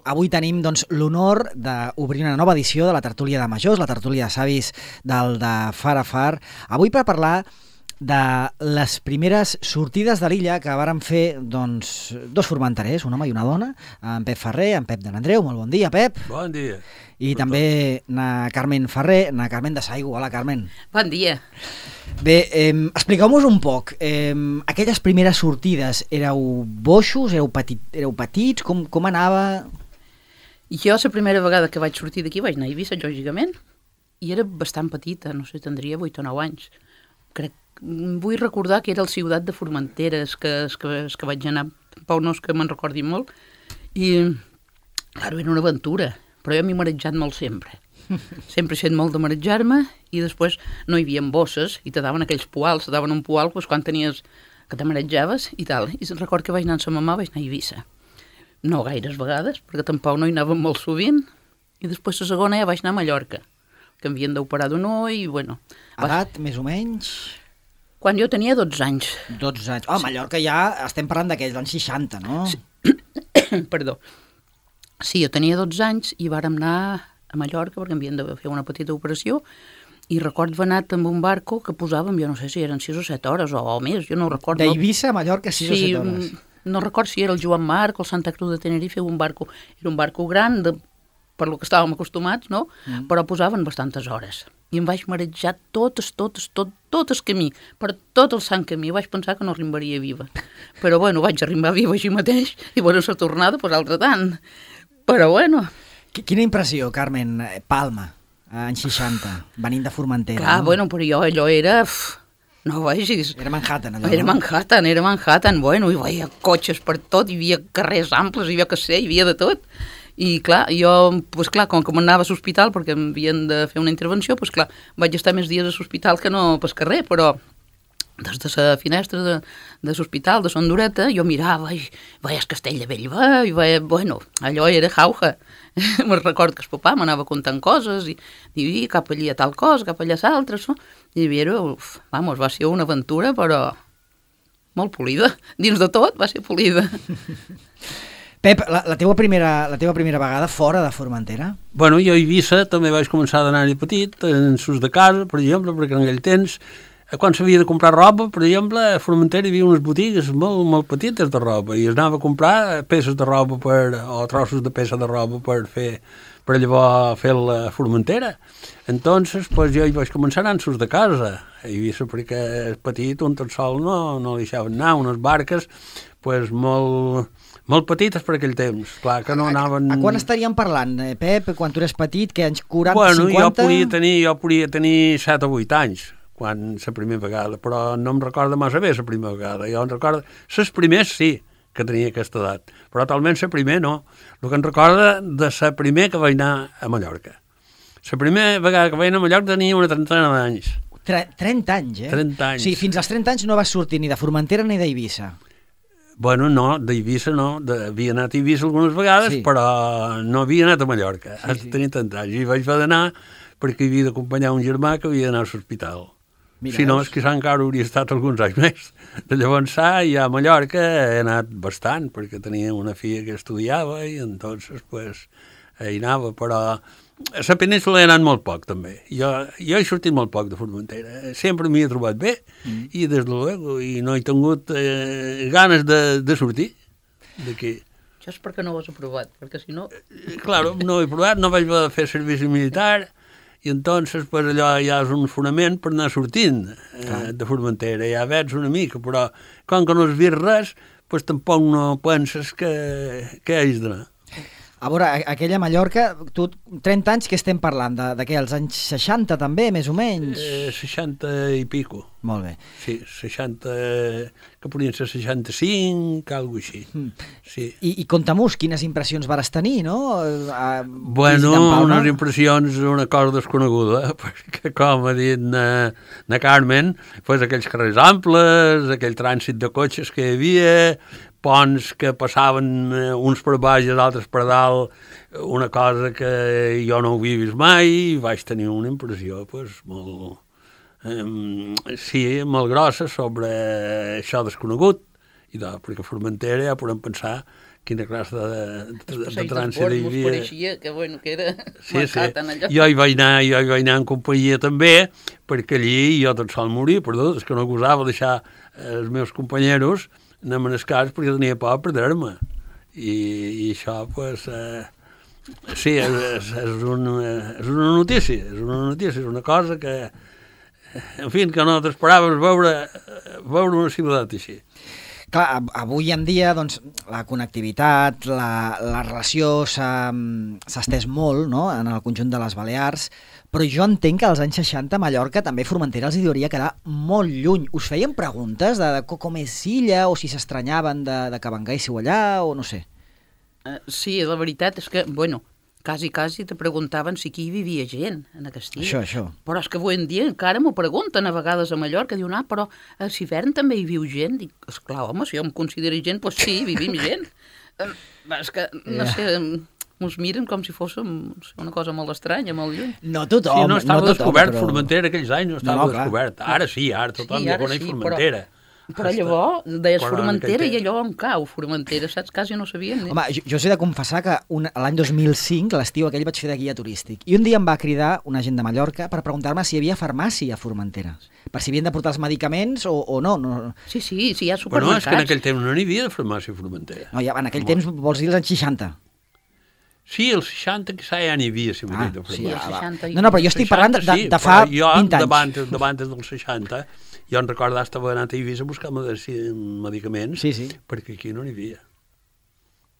avui tenim l'honor d'obrir una nova edició de la tertúlia de majors, la tertúlia de savis del de Far a Far. Avui per parlar de les primeres sortides de l'illa que varen fer dos formenterers, un home i una dona, en Pep Ferrer, en Pep de l'Andreu. Molt bon dia, Pep. Bon dia. I també na Carmen Ferrer, na Carmen de Saigo. Hola, Carmen. Bon dia. Bé, expliqueu-nos un poc. Aquelles primeres sortides, éreu boixos, éreu petits, com anava? Jo la primera vegada que vaig sortir d'aquí vaig anar a Eivissa, lògicament, i era bastant petita, no sé, tindria 8 o 9 anys. Vull recordar que era el Ciutat de Formentera, que vaig anar, tampoc no és que me'n recordi molt, i, clar, era una aventura, però jo m'he marejat molt sempre. Sempre he fet molt de marejar-me, i després no hi havia bosses, i te daven aquells poals, te daven un poal quan tenies que te marejaves i tal. I record que vaig anar amb sa mamà, vaig anar a Eivissa. No gaires vegades, perquè tampoc no hi anàvem molt sovint, i després la segona ja vaig anar a Mallorca, que m'havien d'operar d'un ull, i bueno... Edat, més o menys? Quan jo tenia 12 anys. 12 anys. Oh, Mallorca ja estem parlant d'aquells anys 60, no? Sí. Perdó. Sí, jo tenia 12 anys i vàrem anar a Mallorca perquè havien de fer una petita operació, i recordo haver anat amb un barco que posàvem, jo no sé si eren 6 o 7 hores o més, jo no ho recordo. D'Eivissa a Mallorca 6 o 7 hores. No recordo si era el Joan Marc o el Santa Cruz de Tenerife, era un barco gran, per lo que estàvem acostumats, no? Però posaven bastantes hores. I em vaig marejar tot el camí, per tot el sant camí. Vaig pensar que no arribaria viva. Però bueno, vaig arribar viva així mateix, i bueno, la tornada, doncs altre tant. Però bueno... Quina impressió, Carmen, Palma, anys 60, venint de Formentera. Clar, no? Bueno, però allò era... No vegis... Era Manhattan, allò, Era Manhattan, bueno, hi havia cotxes per tot, hi havia carrers amples, hi havia que sé, hi havia de tot. I clar, jo, doncs clar, com que m'anava a l'hospital perquè em havien de fer una intervenció, doncs clar, vaig estar més dies a l'hospital que no pel carrer, però des de la finestra de l'hospital de Son Dureta jo mirava i veia el castell de Bellver, i veia, bueno, allò era jauja. Me'n recordo que el papà m'anava contant coses i cap allà tal cosa, cap allà l'altre, no? I vamos, va ser una aventura, però molt polida. Dins de tot va ser polida. Pep, la teva primera vegada fora de Formentera? Bueno, jo a Eivissa també vaig començar d'anar-hi petit, en sus de casa, per exemple, perquè en aquell temps, quan s'havia de comprar roba, per exemple, a Formentera hi havia unes botigues molt petites de roba, i es anava a comprar peces de roba o trossos de peça de roba per llavors fer la Formentera. Entonces, pues, jo hi vaig començar anant sus de casa, a Eivissa, perquè petit, un tot sol no li deixaven anar, unes barques, pues, molt petites per aquell temps, clar, que no anaven... A quan estaríem parlant, Pep, quan tu eres petit, que anys 40, bueno, 50? Jo podia tenir 7 o 8 anys, quan la primera vegada, però no em recorda massa bé la primera vegada. Jo em recordo... Les primers sí que tenia aquesta edat, però talment la primera no. El que em recorda de la primera que vaig anar a Mallorca. La primera vegada que vaig anar a Mallorca tenia una trentena d'anys. 30 anys, eh? 30 anys. Sí, fins als 30 anys no vas sortir ni de Formentera ni d'Eivissa. Bueno, no, d'Eivissa no, havia anat a Eivissa algunes vegades, sí, però no havia anat a Mallorca, sí. Tenia tant anys, i vaig haver d'anar perquè havia d'acompanyar un germà que havia d'anar a l'hospital. Si no, és que encara hauria estat alguns anys més. De llavors, ja a Mallorca he anat bastant, perquè tenia una filla que estudiava, i entonces, pues, hi anava, però... A la península he anat molt poc, també. Jo he sortit molt poc de Formentera. Sempre m'hi he trobat bé, i des de luego, i no he tingut ganes de sortir d'aquí. Això és perquè no ho has aprovat, perquè si no... Claro, no he provat, no vaig fer servici militar, i entonces, pues, allò ja és un fonament per anar sortint de Formentera. Ja veig una mica, però com que no has vist res, pues, tampoc no penses que hagis d'anar. A veure, aquella Mallorca, tu, 30 anys, que estem parlant? De què, els anys 60 també, més o menys? 60 i pico. Molt bé. Sí, 60, que podrien ser 65, alguna cosa així. Sí. I conta-mos quines impressions vares tenir, no? Bueno, unes impressions, una cosa desconeguda, perquè com ha dit na Carmen, pues, aquells carrers amples, aquell trànsit de cotxes que hi havia, ponts que passaven uns per baix i els altres per dalt, una cosa que jo no havia vist mai, i vaig tenir una impressió pues, molt, molt grossa sobre això desconegut, perquè a Formentera ja podem pensar quina classe de trànsit hi hi havia. pareixia que, bueno, que era marcat en allò. Jo hi vaig anar en companyia també, perquè allí jo tot sol morir, perdó, és que no gosava deixar els meus companyeros anar a cas perquè tenia por a perdre-me. I això, pues, sí, és una notícia, és una cosa que, en fi, que no t'esperaves veure una ciutat així. Clar, avui en dia doncs, la connectivitat, la relació s'ha estès molt, no?, en el conjunt de les Balears, però jo entenc que als anys 60 a Mallorca també Formentera els hi hauria quedar molt lluny. Us feien preguntes de com és Illa o si s'estranyaven de que venguéssiu allà o no sé? Sí, la veritat és que, bueno, quasi te preguntaven si aquí hi vivia gent, en Castilla. Això. Però és que avui en dia encara m'ho pregunten a vegades a Mallorca, diuen, però a Civern també hi viu gent? Dic, esclar, home, si jo em considero gent, doncs sí, vivim gent. És que, no sé, ens miren com si fos una cosa molt estranya, molt lluny. No tothom. Sí, no estava descobert Formentera aquells anys, no estava descobert. Ara sí, ara tothom ja coneix Formentera. Però llavors deies Formentera i allò on cau Formentera, saps? Quasi no sabien. Home, jo he de confessar que l'any 2005, l'estiu aquell, vaig fer de guia turístic. I un dia em va cridar una gent de Mallorca per preguntar-me si hi havia farmàcia a Formentera. Per si havien de portar els medicaments o no. Sí, hi ha supermercats. Però no, és que en aquell temps no n'hi havia de farmàcia a Formentera. No, en aquell temps vols dir els anys 60. Sí, els 60 quizà ja n'hi havia, si m'he dit de farmàcia. No, però jo estic parlant de fa 20 anys. Jo, davant dels 60, jo en recordo que estava anant a Eivissa a buscar medicaments, perquè aquí no n'hi havia.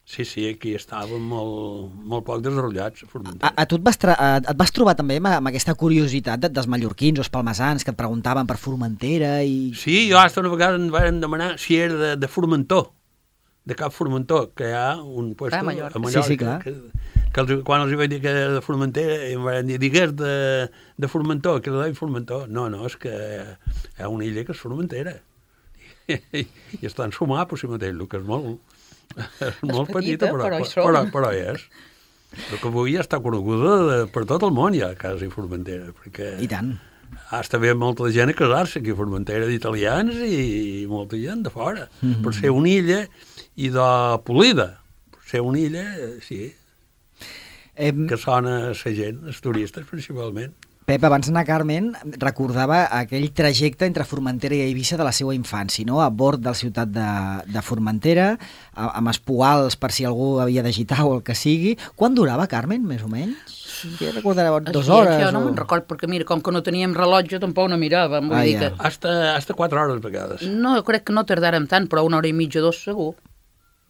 Sí, aquí estàvem molt poc desenvolupats a Formentera. A tu et vas trobar també amb aquesta curiositat dels mallorquins o els palmesans que et preguntaven per Formentera i... Sí, jo una vegada em van demanar si era de Formentor, de Cap Formentor, que hi ha un puesto a Mallorca. Sí, clar. Que quan els vaig dir que era de Formentera, em van dir, digues de Formentor, que era de Formentor. No, és que hi ha una illa que és Formentera. I estan sumar, per si mateix, el que és molt petita, però és. Però que avui ja està coneguda per tot el món, ja, quasi Formentera. Perquè I tant. Hasta ve molta gent a casar-se aquí a Formentera, d'italians i molta gent de fora. Per ser una illa i de polida. Per ser una illa, sí, que sona a la gent, els turistes principalment. Pep, abans d'anar a Carmen, recordava aquell trajecte entre Formentera i Eivissa de la seva infància, no? A bord de la ciutat de Formentera, amb espoals per si algú havia d'agitar o el que sigui. Quan durava, Carmen, més o menys? Ja recordareu 2 hores? Jo no me'n record, perquè mira, com que no teníem rellotge, tampoc no miràvem. Vull dir que... Hasta 4 hores a vegades. No, crec que no tardàrem tant, però 1 hora i mitja, 2 segur.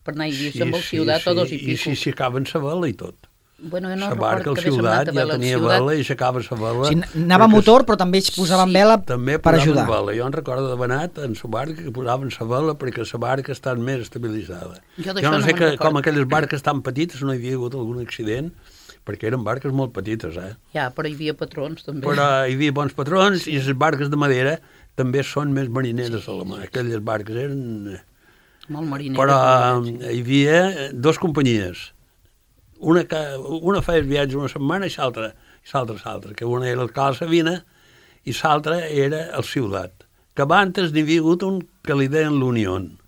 Per anar a Eivissa amb el ciutat o 2 i pico. I si acaben sa vela i tot. Bueno, jo no recordo que ciutat ja tenia vela i s'acaba la vela. Sí, anava a motor, però també posaven vela per ajudar. També posaven vela. Jo en recordo d'haver anat en la barca que posaven la vela perquè la barca està més estabilitzada. Jo no sé com aquelles barques tan petites no hi havia hagut algun accident, perquè eren barques molt petites, Ja, però hi havia patrons, també. Però hi havia bons patrons i les barques de madera també són més marineres a la mà. Aquelles barques eren... Molt marineres. Però hi havia 2 companyies. Una feia el viatge una setmana i l'altra, que una era el Cal Savina i l'altra era el Ciutat, que abans n'hi havia hagut un que li deien l'Unión,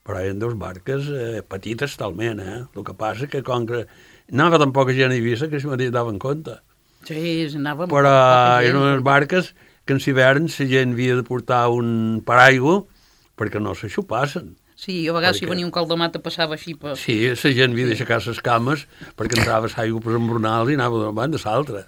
però eren 2 barques petites talment, El que passa que com que anava tan poca gent a Eivissa que si mateix daven compte. Sí, anava però eren unes barques que en hivern la gent havia de portar un paraigua perquè no s'aixupassen. Sí, a vegades si venia un caldemat passava així per... Sí, la gent havia d'aixecar les cames perquè entrava l'aigua per embronals i anava d'una banda a l'altra.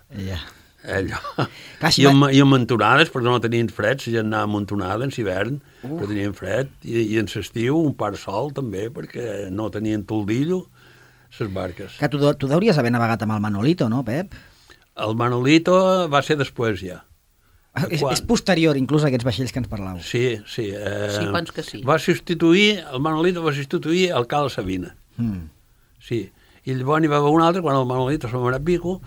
Allò. I amb entonades, perquè no tenien fred, la gent anava amuntonada en l'hivern, que tenien fred, i en l'estiu un par sol també, perquè no tenien toldillo les barques. Que tu hauries haver navegat amb el Manolito, no, Pep? El Manolito va ser després ja. És posterior, inclús, a aquests vaixells que ens parlàveu. Sí. Sí, penso que sí. El Manolito va substituir el Cal Savina. Sí. I llavors n'hi va haver un altre, quan el Manolito se'n va anar a Pico,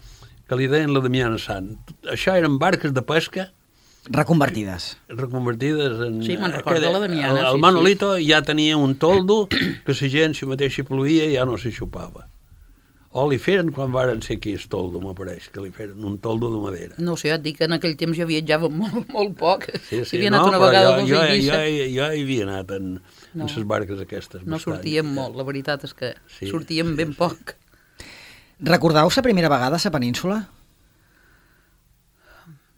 que li deien la Damiana Sant. Això eren barques de pesca... Reconvertides en... Sí, me'n recordo la Damiana. El Manolito ja tenia un toldo que la gent, si mateix hi ploïa, ja no s'hi xupava. O li feren quan varen ser aquí el toldo, m'apareix, que li feren un toldo de madera. No sé, et dic que en aquell temps jo viatjava molt poc. Sí, havia anat una vegada a Eivissa. Jo hi havia anat en les barques aquestes. No sortíem molt, la veritat és que sortíem ben poc. Recordeu la primera vegada a la península?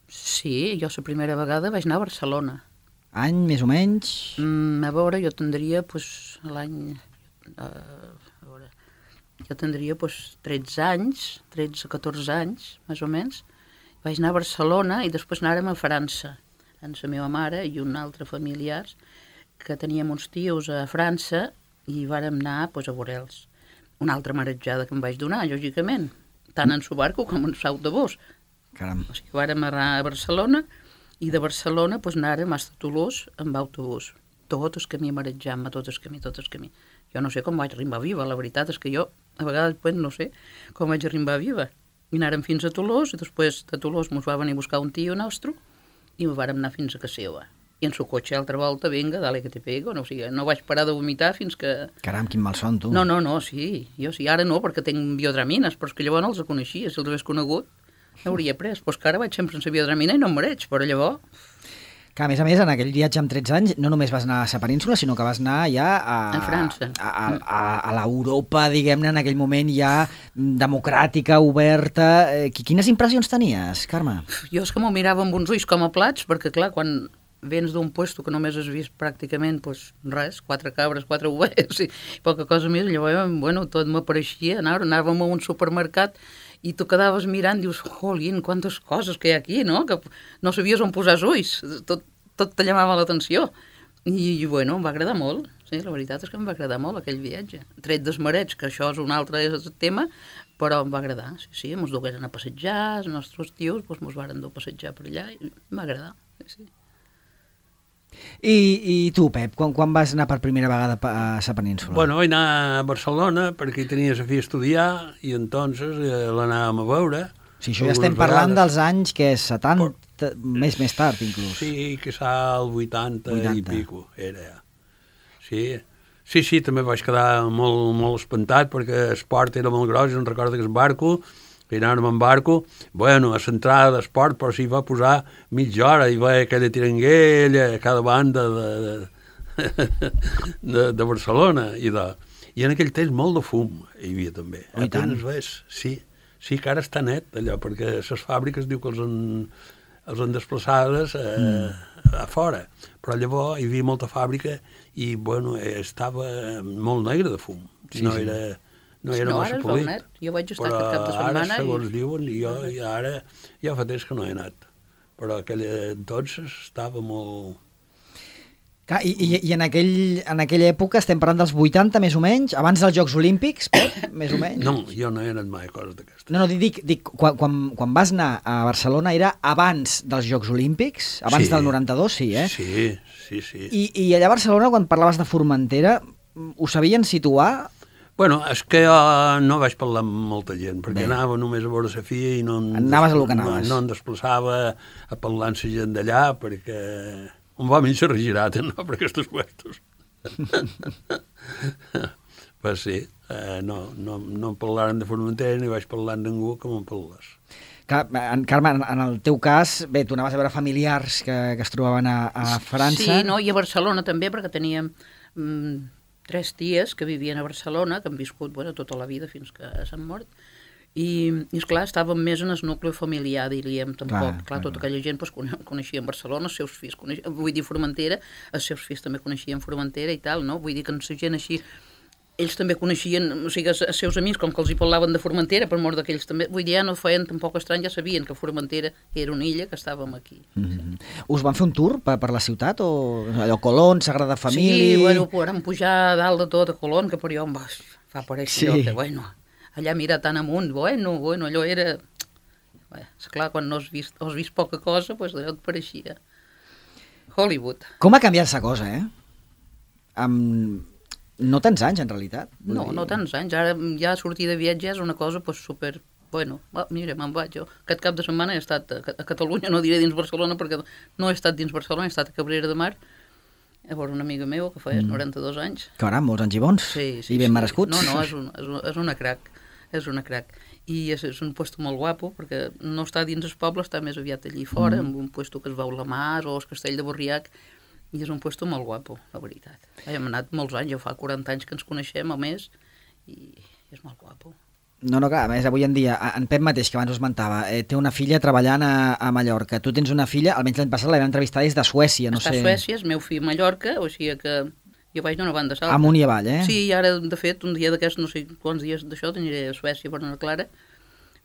Sí, jo la primera vegada vaig anar a Barcelona. Any, més o menys? A veure, jo tindria l'any... Jo tindria 13 anys, 13-14 anys, més o menys. Vaig anar a Barcelona i després anàrem a França, amb la meva mare i un altre familiars, que teníem uns tios a França i vàrem anar a veure'ls. Una altra marejada que em vaig donar, lògicament, tant en su barco com en l'autobús. Caram. O sigui, vàrem anar a Barcelona i de Barcelona anàrem a Toulouse amb autobús. Tot el camí marejant-me, tot el camí. Jo no sé com vaig arribar viva, la veritat és que jo a vegades no sé com vaig arribar viva. I anàrem fins a Toulouse i després de Toulouse ens va venir a buscar un tio nostre i vàrem anar fins a casa seva. I en su cotxe altra volta, vinga, dale que te pego, no, o sigui, no vaig parar de vomitar fins que... Caram, quin malson, tu. No, sí, jo sí, ara no, perquè tinc biodramines, però és que llavors no els coneixia, si els hagués conegut, hauria pres, però és que ara vaig sempre sense biodramina i no em mareig, però llavors... Que a més, en aquell viatge amb 13 anys no només vas anar a la península, sinó que vas anar ja a França. A l'Europa, diguem-ne, en aquell moment ja democràtica, oberta. Quines impressions tenies, Carme? Jo és que m'ho mirava amb uns ulls com a plats, perquè clar, quan vens d'un puesto que només has vist pràcticament res, 4 cabres, 4 ovelles i poca cosa més, llavors, tot m'apareixia, anàvem a un supermercat i tu quedaves mirant, dius, jolín, quantes coses que hi ha aquí, no? Que no sabies on posar els ulls, tot te llamava l'atenció. I, em va agradar molt, sí, la veritat és que em va agradar molt aquell viatge. Tret dels marets, que això és un altre tema, però em va agradar, sí, ens dugueren a passejar, els nostres tios ens varen dur a passejar per allà i em va agradar, sí. I tu, Pep, quan vas anar per primera vegada a la península? Bueno, vaig anar a Barcelona perquè hi tenia a fi estudiar i entonces l'anàvem a veure. Sí, això ja estem parlant dels anys que és 70, més tard inclús. Sí, que el 80 i pico era ja. Sí, també vaig quedar molt espantat perquè l'esport era molt gros, em recordo que el barco, que anàvem en barco, a l'entrada d'esport, però s'hi va posar mitja hora, i va aquella tiranguella a cada banda de Barcelona, i en aquell temps molt de fum hi havia també. I tant. Sí, que ara està net allò, perquè les fàbriques diu que els han desplaçades a fora, però llavors hi havia molta fàbrica i estava molt negre de fum, no era massa polit. Jo vaig estar aquest cap de setmana. Però ara, segons diuen, jo ara ja fa temps que no he anat. Però doncs estava molt... Clar, i en aquella època estem parlant dels 80 més o menys, abans dels Jocs Olímpics, més o menys? No, jo no he anat mai a coses d'aquestes. No, dic quan vas anar a Barcelona era abans dels Jocs Olímpics, abans del 92, sí, eh? Sí. I allà a Barcelona, quan parlaves de Formentera, ho sabien situar? Bueno, és que jo no vaig parlar amb molta gent, perquè anava només a veure la filla i no... Anaves a lo que anaves. No em desplaçava a parlar amb la gent d'allà, perquè un va mig regirat, no?, per aquests puestos. Pues sí, no em parlaren de Formentera ni vaig parlar amb ningú com em parles. Carme, en el teu cas, bé, tu anaves a veure familiars que es trobaven a França. Sí, no, i a Barcelona també, perquè teníem 3 ties que vivien a Barcelona, que han viscut tota la vida fins que s'han mort, i esclar, estàvem més en el nucli familiar, diríem, tampoc. Clar, tota aquella gent coneixien Barcelona, els seus fills, vull dir Formentera, els seus fills també coneixien Formentera i tal, no? Vull dir que la gent així, ells també coneixien, o sigui, els seus amics, com que els hi parlaven de Formentera, per mort d'aquells també, vull dir, ja no feien tampoc estrany, ja sabien que Formentera era una illa, que estàvem aquí. Sí. Us van fer un tour per la ciutat, o allò, Colón, Sagrada Família... Sí, vam pujar a dalt de tot a Colón, que per allò em va aparèixer allò que, allà mirar tan amunt, allò era... Esclar, quan no has vist poca cosa, doncs allò et pareixia Hollywood. Com ha canviat la cosa, No tants anys, en realitat. No tants anys. Ara ja sortir de viatge és una cosa super... Mira, me'n vaig jo. Aquest cap de setmana he estat a Catalunya, no diré dins Barcelona, perquè no he estat dins Barcelona, he estat a Cabrera de Mar, a veure una amiga meva que feia 92 anys. Caram, molts anys i bons. Sí, I ben merescuts. No, és una crac. És una crac. I és un puesto molt guapo, perquè no està dins el poble, està més aviat allí fora, en un puesto que es veu la mar o el castell de Borriac, i és un puesto molt guapo, la veritat. Hem anat molts anys, jo fa 40 anys que ens coneixem, a més, i és molt guapo. No, clar, a més, avui en dia, en Pep mateix, que abans ho esmentava, té una filla treballant a Mallorca. Tu tens una filla, almenys l'any passat la vam entrevistar des de Suècia, no sé... Està a Suècia, és meu fill a Mallorca, o sigui que jo vaig d'una banda a l'altra. Amunt i avall, Sí, i ara, de fet, un dia d'aquests, no sé quants dies d'això, aniré a Suècia per anar clara.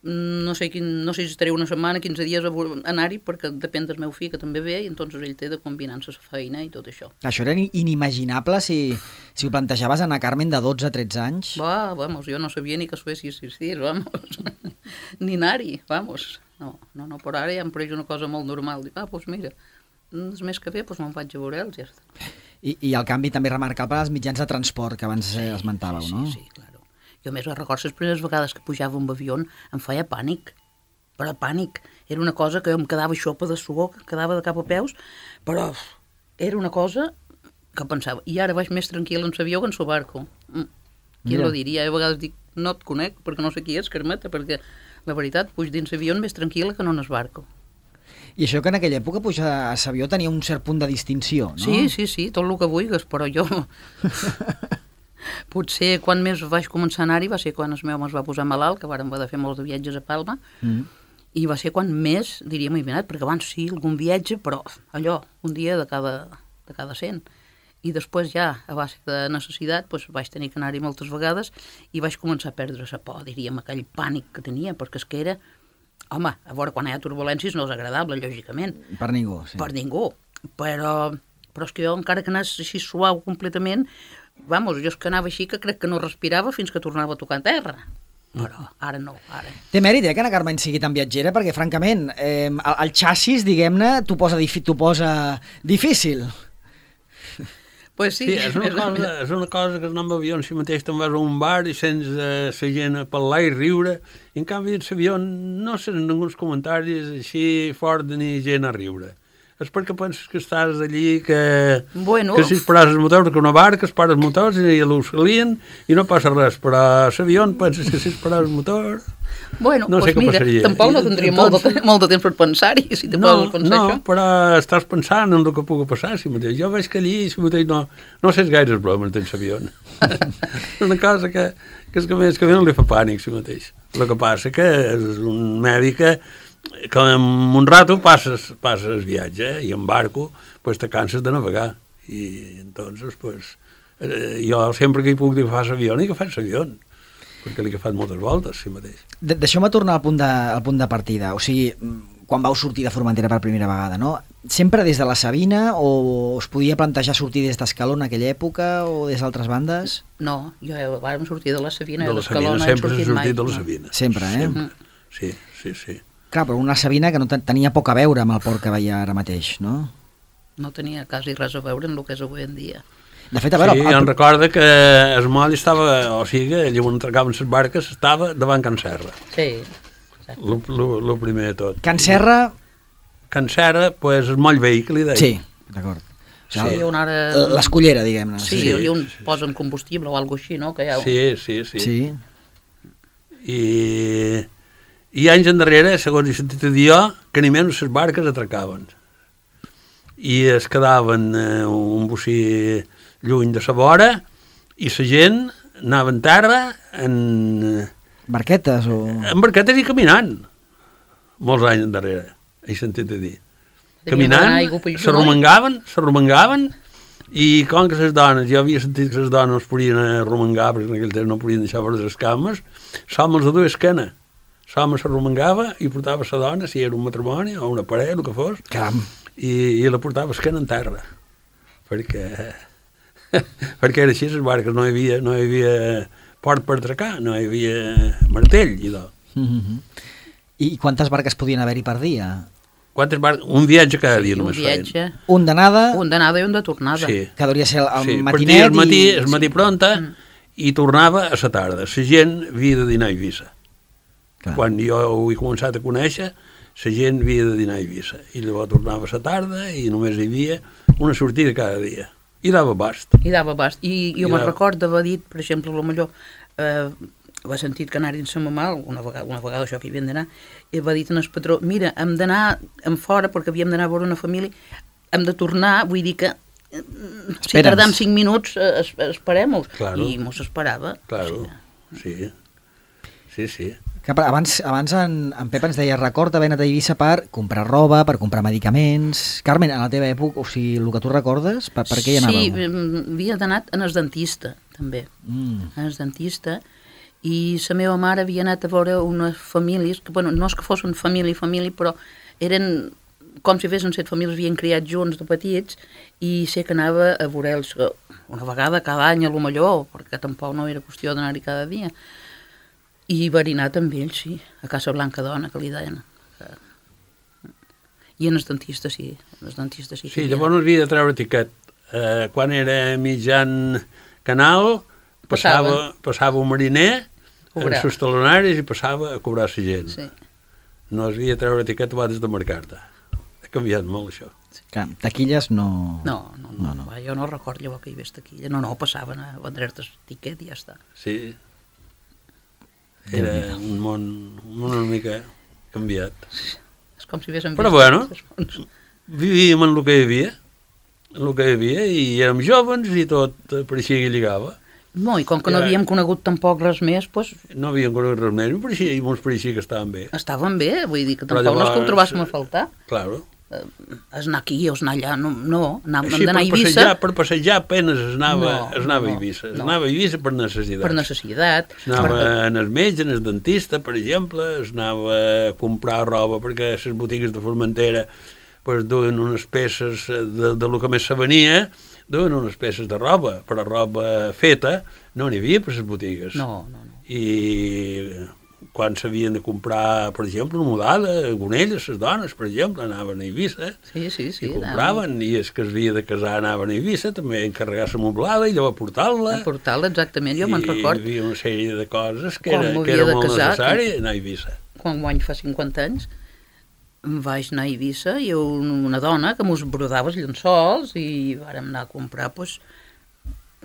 No sé si estaré una setmana, 15 dies a anar-hi, perquè depèn del meu fill, que també ve, i entonces ell té de combinar-se la feina i tot això. Això era inimaginable si ho plantejaves a Ana Carmen de 12-13 anys? Vamos, jo no sabia ni que Suècia existís, vamos. Ni anar-hi, vamos. No, però ara ja em pareix una cosa molt normal. Dic, doncs mira, és més que bé, doncs me'n vaig a veure'ls, ja està. I el canvi també remarcable als mitjans de transport, que abans esmentàveu, no? Sí, clar. Jo més recordo les primeres vegades que pujava un avió em feia pànic, però pànic. Era una cosa que em quedava xopa de suor, que quedava de cap a peus, però era una cosa que pensava. I ara vaig més tranquil en l'avió que en el barco. Qui lo diria? Jo a vegades dic, no et conec, perquè no sé qui és, Carmeta, perquè la veritat, puig dins l'avió més tranquil·la que no en el barco. I això que en aquella època pujar a l'avió tenia un cert punt de distinció, no? Sí, tot el que vulguis, però jo... Potser quan més vaig començar a anar-hi va ser quan el meu es va posar malalt, que vàrem haver de fer molts de viatges a Palma, i va ser quan més, diríem, he anat, perquè abans sí, algun viatge, però allò, un dia de cada 100. I després ja, a base de necessitat, doncs vaig tenir que anar-hi moltes vegades i vaig començar a perdre la por, diríem, aquell pànic que tenia, perquè és que era... Home, a veure, quan hi ha turbulències no és agradable, lògicament. Per ningú, sí. Per ningú, però és que jo, encara que anés així suau completament, vamos, jo és que anava així que crec que no respirava fins que tornava a tocar a terra. Però ara no, ara. Té mèrit, que Ana Carmen sigui tan viatgera, perquè, francament, el xassis, diguem-ne, t'ho posa difícil. Pues sí. És una cosa que anar amb avió en si mateix te'n vas a un bar i sents la gent a parlar i riure, i en canvi en l'avió no sents ninguns comentaris així fort ni gent a riure. És perquè penses que estàs allí, que si es pares el motor, que una barca es para els motors i l'auxilien i no passa res, però a l'avió penses que si es pares el motor... Bueno, no sé mira, tampoc no tindria molt de temps per pensar-hi, si te poses a pensar això. No, però estàs pensant en el que pugui passar, si mateix. Jo veig que allí, si mateix, no sé gaire bromes dins l'avió. És una cosa que és que més que bé no li fa pànic, si mateix. El que passa que és un mèdic que en un rato passes el viatge, i en barco pues, te canses de navegar. I entonces, pues, jo sempre que hi puc dir que fas avió, i que fas avió, perquè l'he agafat moltes voltes, si mateix. Deixeu-me tornar al punt de partida, o sigui, quan vau sortir de Formentera per primera vegada, no? Sempre des de la Sabina, o es podia plantejar sortir des d'Escaló en aquella època, o des d'altres bandes? No, vam sortir de la Sabina, de l'Escaló no hem sortit mai. De la Sabina. Sempre, Sí. Clar, però una Sabina que no tenia poc a veure amb el port que veia ara mateix, no? No tenia quasi res a veure amb el que és avui en dia. De fet, a veure... Sí, em recorda que el moll estava, o sigui, allà on atracaven les barques, estava davant Can Serra. Sí, exacte. El primer de tot. Can Serra... Can Serra, pues, el moll vell, que li deia. Sí, d'acord. Sí. L'escullera, diguem-ne. Sí, i on posen combustible o alguna cosa així, no? Que Sí. I anys endarrere, segons he sentit a dir jo, que ni menys les barques atracaven. I es quedaven un bocí lluny de la vora i la gent anava en terra en... Barquetes o... En barquetes i caminant. Molts anys endarrere, he sentit a dir. Caminant, s'arromangaven i com que les dones, jo havia sentit que les dones es podien arromangar, perquè en aquell temps no podien deixar veure les cames, som els de dues esquena. L'home s'arromangava i portava la dona, si era un matrimoni o una parella, el que fos, i la portava esquena en terra. Perquè era així, les barques no hi havia port per atracar, no hi havia martell. I quantes barques podien haver-hi per dia? Quantes barques? Un viatge cada dia només feien. Un d'anada? Un d'anada i un de tornada. Sí. Que hauria ser el matinet. El matí pronta i tornava a la tarda. La gent havia de dinar a Eivissa. Quan jo ho he començat a conèixer, la gent havia de dinar a Eivissa. I llavors tornava a la tarda i només hi havia una sortida cada dia. I dava abast. I jo me'n recordo d'haver dit, per exemple, potser va sentit que anaren sa mamà, una vegada això que hi havien d'anar, i va dir al patró, mira, hem d'anar en fora perquè havíem d'anar a veure una família, hem de tornar, vull dir que si tardam 5 minuts, esperem-ho. Claro. I mos esperava. Claro, sí. Abans en Pep ens deia, recorda haver anat a Eivissa per comprar roba, per comprar medicaments. Carmen, a la teva època, o sigui, el que tu recordes, per què hi anàveu? Sí, havia anat en el dentista, també. En el dentista, i la meva mare havia anat a veure unes famílies, que, bueno, no és que fossin família, però eren com si fessin 7 famílies, havien criat junts de petits, i sé que anava a veure-los una vegada cada any, a lo millor, perquè tampoc no era qüestió d'anar-hi cada dia. I va anar amb ells, sí, a Casa Blanca Dona, que li deien. I en el dentista, sí. Sí, llavors havia de treure tiquet. Quan era mitjan canal, passava un mariner en els talonaris i passava a cobrar la gent. Sí. No es havia de treure tiquet abans de marcar-te. Ha canviat molt, això. Clar, taquilles no... No. Jo no recordo llavors que hi hagués taquilla. No, passaven a vendre-te el tiquet i ja està. Sí. Era un món una mica canviat. És com si haguéssim vist... Però bueno, vivíem en el que hi havia, i érem jovens i tot pareixia que lligava. No, i com que no havíem conegut tampoc res més, doncs... No havíem conegut res més, i ens pareixia que estaven bé. Estaven bé, vull dir que tampoc no és que ho trobàssim a faltar. Claro. Es anar aquí o es anar allà, no, hem d'anar a Eivissa. Per passejar apenas es anava a Eivissa. Es anava a Eivissa per necessitat. Per necessitat. Es anava en el metge, en el dentista, per exemple, es anava a comprar roba, perquè les botigues de Formentera duen unes peces de lo que més se venia, duen unes peces de roba, però roba feta no n'hi havia per les botigues. No. I quan s'havien de comprar, per exemple, una mudada, gonelles, les dones, per exemple, anaven a Eivissa, i compraven, i els que s'havia de casar anaven a Eivissa, també encarregar la moblada i llavors portar-la. Portar-la, exactament, jo me'n record. I hi havia una sèrie de coses que era molt necessari anar a Eivissa. Quan guany fa 50 anys, vaig anar a Eivissa i una dona que mos brodava els llençols i vàrem anar a comprar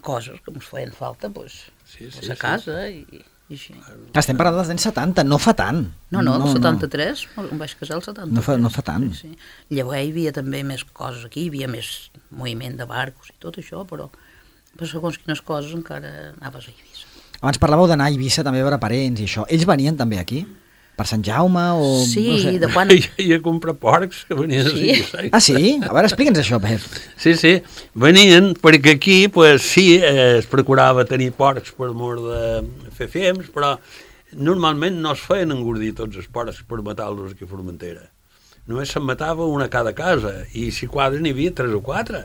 coses que mos feien falta a casa i així. Estem parlant dels anys 70, no fa tant. No, el 73, em vaig casar el 73. No fa tant. Sí. Llavors hi havia també més coses aquí, hi havia més moviment de barcos i tot això, però segons quines coses encara anaves a Eivissa. Abans parlàveu d'anar a Eivissa també a veure parents i això. Ells venien també aquí? Per Sant Jaume o... Sí, no sé. de quan... I a comprar porcs que venien a Eivissa. Ah, sí? A veure, explica'ns això, Pep. Sí, venien perquè aquí, sí, es procurava tenir porcs per mort de fer fems, però normalment no es feien engordir tots els porcs per matar-los aquí a Formentera. Només se'n matava una a cada casa, i si quadres n'hi havia 3 o 4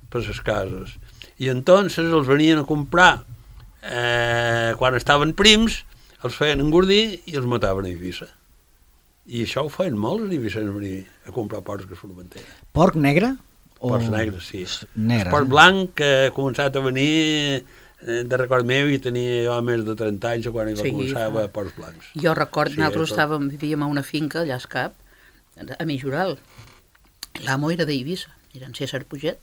per les cases. I entonces els venien a comprar quan estaven prims, els feien engordir i els mataven a Eivissa. I això ho feien molts a Eivissa, venir a comprar porcs a Formentera. Porc negre? Porcs negres, sí. Negre. El porc blanc que ha començat a venir de record meu, i tenia jo més de 30 anys quan hi va començar a veure porcs blancs. Jo record, nosaltres vivíem a una finca allà a Escap, a Mijoral. L'amo era d'Eivissa, era en César Puget,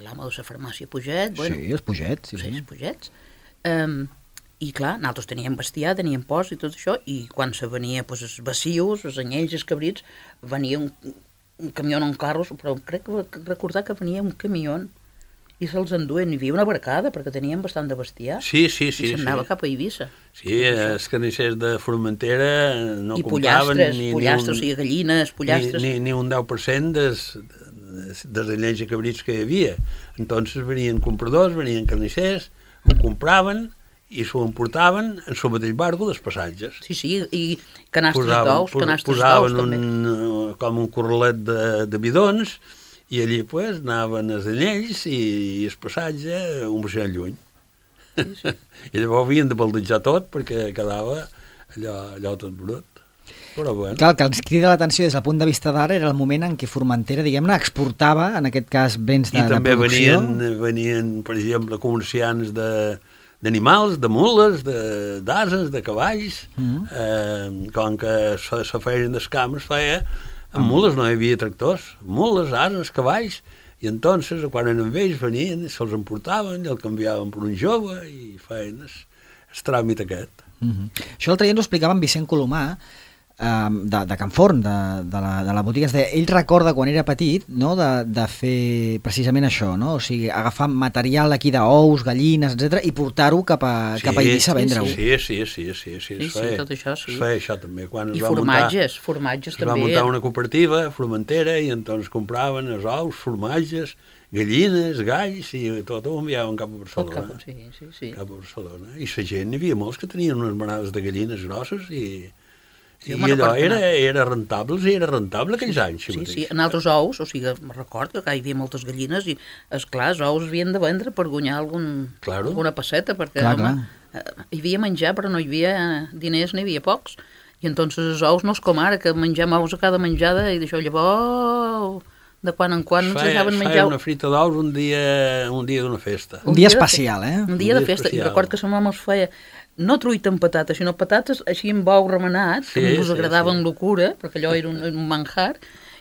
l'amo de la farmàcia Puget. Sí, els Puget. Sí, els Pugets. I clar, nosaltres teníem bestiar, teníem porcs i tot això, i quan se venia els bacius, els anyells, els cabrits, venia un camió en carros, però crec que recordar que venia un camió i se'ls enduen. Hi havia una barcada, perquè teníem bastant de bestiar. Sí. I s'anava cap a Eivissa. Sí, els carnissers de Formentera no compraven... I pollastres, o sigui, gallines, pollastres... Ni un 10% dels anyells i cabrits que hi havia. Entonces venien compradors, venien carnissers, ho compraven i s'ho emportaven en el mateix barco dels passatges. Sí, i canastres d'ous també. Posaven com un corralet de bidons i allí anaven els anyells i el passatge un baixant lluny. Sí. I llavors havien de baldejar tot perquè quedava allò tot brut. Però bueno. Clar, el que ens crida l'atenció des del punt de vista d'ara era el moment en què Formentera, diguem-ne, exportava, en aquest cas, béns de producció. I també venien, per exemple, comerciants d'animals, de mules, d'ases, de cavalls. Com que se feien les cames, amb mules no hi havia tractors, mules, ases, cavalls, i entonces, quan eren vells, venien, se'ls emportaven i el canviaven per un jove i feien el tràmit aquest. Això l'altre dia ens ho explicava en Vicent Colomà, de Can Forn, de la botiga. Ell recorda quan era petit, no?, de fer precisament això, no? O sigui, agafar material aquí d'ous, gallines, etc i portar-ho cap a Eivissa a vendre-ho. Sí, tot això sí. Es feia això també. I formatges també. Es va muntar una cooperativa formentera i entonces compraven els ous, formatges, gallines, galls i tot ho enviaven cap a Barcelona. Sí. Cap a Barcelona. I la gent, hi havia molts que tenien unes manades de gallines grosses i allò era rentable aquells anys. Sí, en altres ous, o sigui, me recordo que hi havia moltes gallines i, esclar, els ous havien de vendre per guanyar alguna passeta, perquè, hi havia menjar, però no hi havia diners, n'hi havia pocs. I entonces els ous no és com ara, que mengem ous a cada menjada i d'això llavors, de quan en quan ens deixaven menjar... Feia una frita d'ous un dia d'una festa. Un dia especial, Un dia de festa. I record que sa mama els feia no truita amb patates, sinó patates així amb ou remenat, que ens agradava amb locura, perquè allò era un manjar,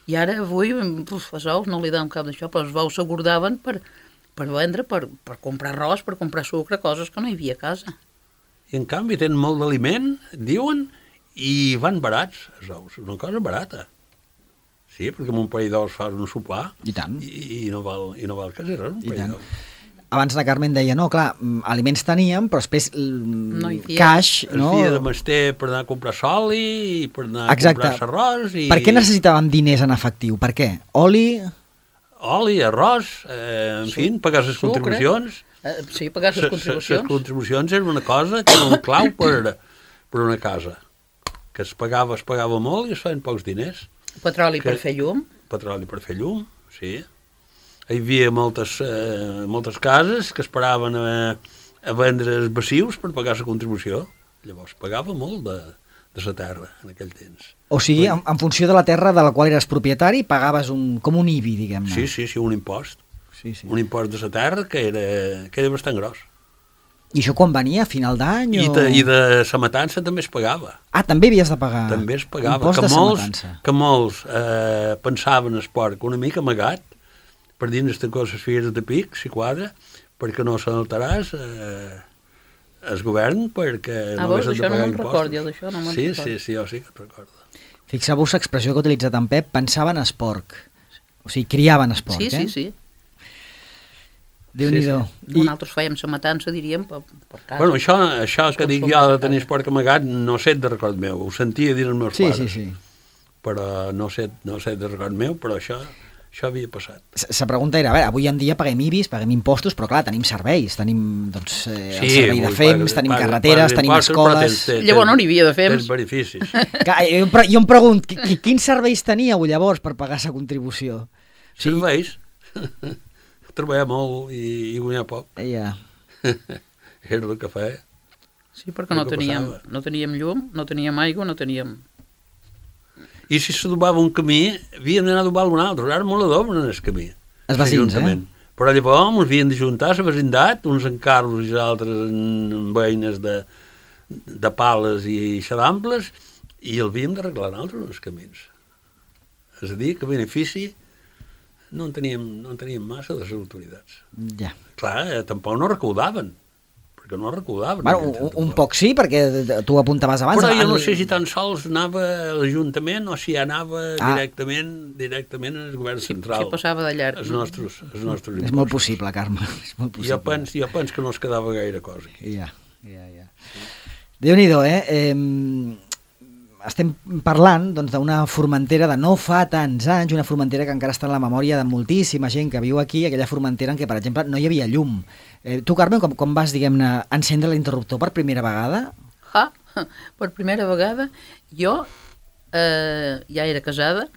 i ara avui els ous no li donen cap d'això, però els ous s'agordaven per vendre, per comprar arròs, per comprar sucre, coses que no hi havia a casa. I en canvi tenen molt d'aliment, diuen, i van barats, els ous, una cosa barata. Sí, perquè amb un parell d'ous fas un sopar i no val quasi res, un parell d'ous. Abans la Carmen deia, no, clar, aliments teníem, però després caix... No? Es feia de mester per anar a comprar oli i per anar a comprar arròs... Per què necessitàvem diners en efectiu? Per què? Oli, arròs, en fi, pagar les contribucions. Sí, pagar les contribucions. Les contribucions era una cosa que era un clau per una casa, que es pagava molt i es feien pocs diners. Petroli per fer llum. Petroli per fer llum, sí. Hi havia moltes cases que esperaven a vendre els passius per pagar la contribució. Llavors pagava molt de la terra en aquell temps. O sigui, en funció de la terra de la qual eres propietari, pagaves com un IBI, diguem-ne. Sí, un impost. Un impost de la terra que era bastant gros. I això quan venia, a final d'any? I de la matança també es pagava. Ah, també havies de pagar? També es pagava. Impost de la matança. Que molts pensaven el porc una mica amagat, per dins de coses filles de pic, si quadra, perquè no s'alteràs el govern, perquè no hagués de pagar impostos. Sí, jo sí que et recordo. Fixeu-vos l'expressió que ha utilitzat en Pep, pensaven es porc. O sigui, criaven es porc, Sí. Déu-n'hi-do. Nosaltres fèiem la matança, diríem, per casa. Bueno, això que dic jo de tenir el porc amagat, no sé de record meu, ho sentia dir els meus pares. Sí. Però no sé de record meu, però això havia passat. La pregunta era, a veure, avui en dia paguem IBIs, paguem impostos, però clar, tenim serveis, tenim el servei de FEMS, tenim carreteres, tenim escoles... Llavors no n'hi havia de FEMS. Tens beneficis. Jo em pregunto, quins serveis teníeu llavors per pagar la contribució? Serveis? Treballar molt i guanyar poc. Ja. Era el que feia. Sí, perquè no teníem llum, no teníem aigua, no teníem... I si s'adobava un camí, havíem d'anar a adobar un altre. Ara molt adoben en el camí. Els vecins, Però llavors ens havien d'ajuntar a la vecindat, uns en carros i altres en veïnes de pales i xadamples, i el havíem d'arreglar nosaltres els camins. És a dir, que benefici no en teníem massa de les autoritats. Ja. Clar, tampoc no recaudaven, perquè no recaudaven. Bueno, un poc sí, perquè tu apuntaves abans. Però jo no sé si tan sols anava a l'Ajuntament o si anava directament al govern central. Si passava de llarg. Els nostres impostos. És molt possible, Carme. Jo penso que no es quedava gaire cosa aquí. Ja. Déu-n'hi-do, Estem parlant d'una formentera de no fa tants anys, una formentera que encara està en la memòria de moltíssima gent que viu aquí, aquella formentera en què, per exemple, no hi havia llum. Tu, Carmen, com vas, diguem-ne, encendre l'interruptor per primera vegada? Per primera vegada, jo ja era casada,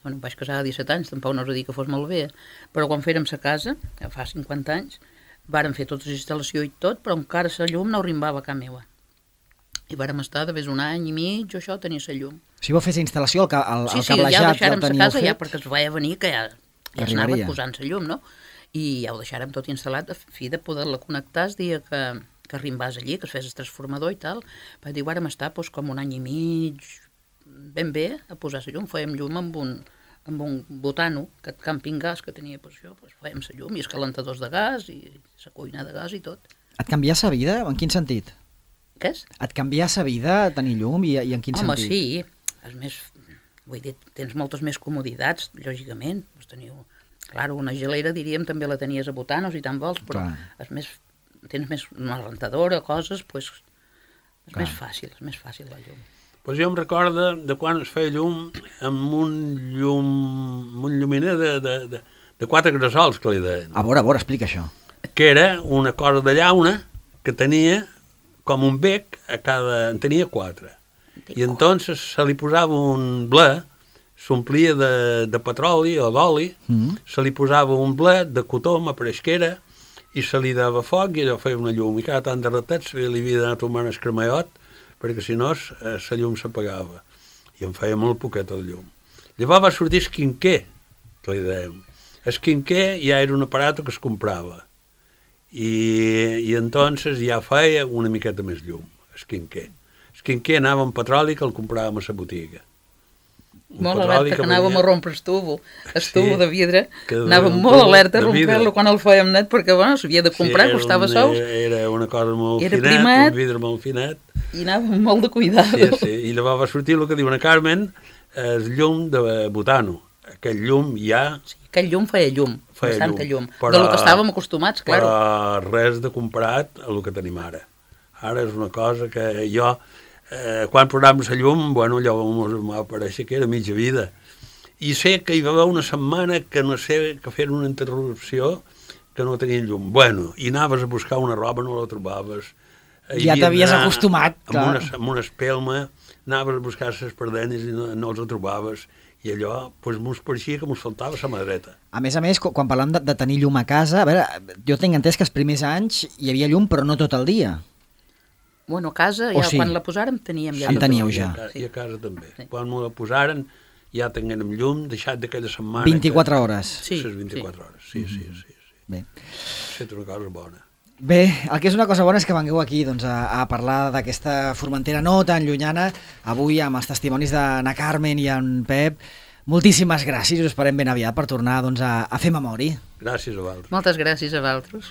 em vaig casar a 17 anys, tampoc no us dic que fos molt bé, però quan fèrem sa casa, fa 50 anys, vàrem fer tota la instal·lació i tot, però encara la llum no arribava a casa meva. I vàrem estar de més un any i mig, això tenia la llum. Si vau fer la instal·lació, el cablejat ja el teníeu deixàrem la casa, fet? ja perquè es veia venir que ja es anava posant la llum, no? I ja ho deixàrem tot instal·lat, a fi de poder-la connectar el dia que arribàs allí, que es fes el transformador i tal. Va dir, vàrem estar com un any i mig, ben bé, a posar la llum. Fèiem llum amb un botano, aquest camping gas que tenia per això, fèiem la llum i els calentadors de gas i la cuina de gas i tot. Et canvià la vida? En quin sentit? Què és? Et canvia la vida tenir llum i en quin sentit? Home, sí, és més... Vull dir, tens moltes més comoditats, lògicament. Clar, una gelera, diríem, també la tenies a Botanos i tant vols, però és més, tens més una rentadora, coses, doncs és més fàcil la llum. Pues jo em recordo de quan es feia llum amb un lluminer de 4 gressols, que li deien. A veure, explica això. Que era una cosa de llauna que tenia com un bec, en tenia 4. I entonces se li posava un ble, s'omplia de petroli o d'oli, se li posava un ble de cotó, amb apareixquera, i se li dava foc i allò feia una llum. I cada tant de ratet li havia d'anar tomant el cremallot, perquè si no la llum s'apagava. I em feia molt poqueta de llum. Llavors va sortir el quinquer, que li dèiem. El quinquer ja era un aparat que es comprava. I entonces ja feia una miqueta més llum, el quinquer. El quinquer anava amb petroli que el compràvem a la botiga. Molt alerta, que anàvem a rompre el tubo de vidre, anàvem molt alerta a rompre-lo quan el fèiem net, perquè s'havia de comprar, costava sous. Era una cosa molt finet, un vidre molt finet. I anàvem molt de cuidado. Sí, i llavors va sortir el que diu una Carmen, el llum de butano. Aquell llum ja... Sí, aquell llum feia llum, bastanta llum. De lo que estàvem acostumats, clar. Però res de comparat a el que tenim ara. Ara és una cosa que jo... quan posàvem la llum, allò m'ha pareixer que era mitja vida. I sé que hi va haver una setmana que no sé, que feien una interrupció que no tenien llum. I anaves a buscar una roba, no la trobaves. Ja t'havies acostumat, clar. Amb una espelma, anaves a buscar les perdenyes i no els trobaves. I allò, mos pareixia que mos faltava la mà dreta. A més, quan parlem de tenir llum a casa, a veure, jo tinc entès que els primers anys hi havia llum, però no tot el dia. A casa, ja quan la posàrem teníem ja. En teníeu ja. I a casa també. Quan me la posaren ja tinguem llum, deixat d'aquella setmana... 24 hores. Sí. 24 hores, sí. Bé. És una cosa bona. Bé, el que és una cosa bona és que vengueu aquí a parlar d'aquesta Formentera no tan llunyana, avui amb els testimonis de na Carmen i en Pep. Moltíssimes gràcies, us esperem ben aviat per tornar a fer memòria. Gràcies a vosaltres. Moltes gràcies a vosaltres.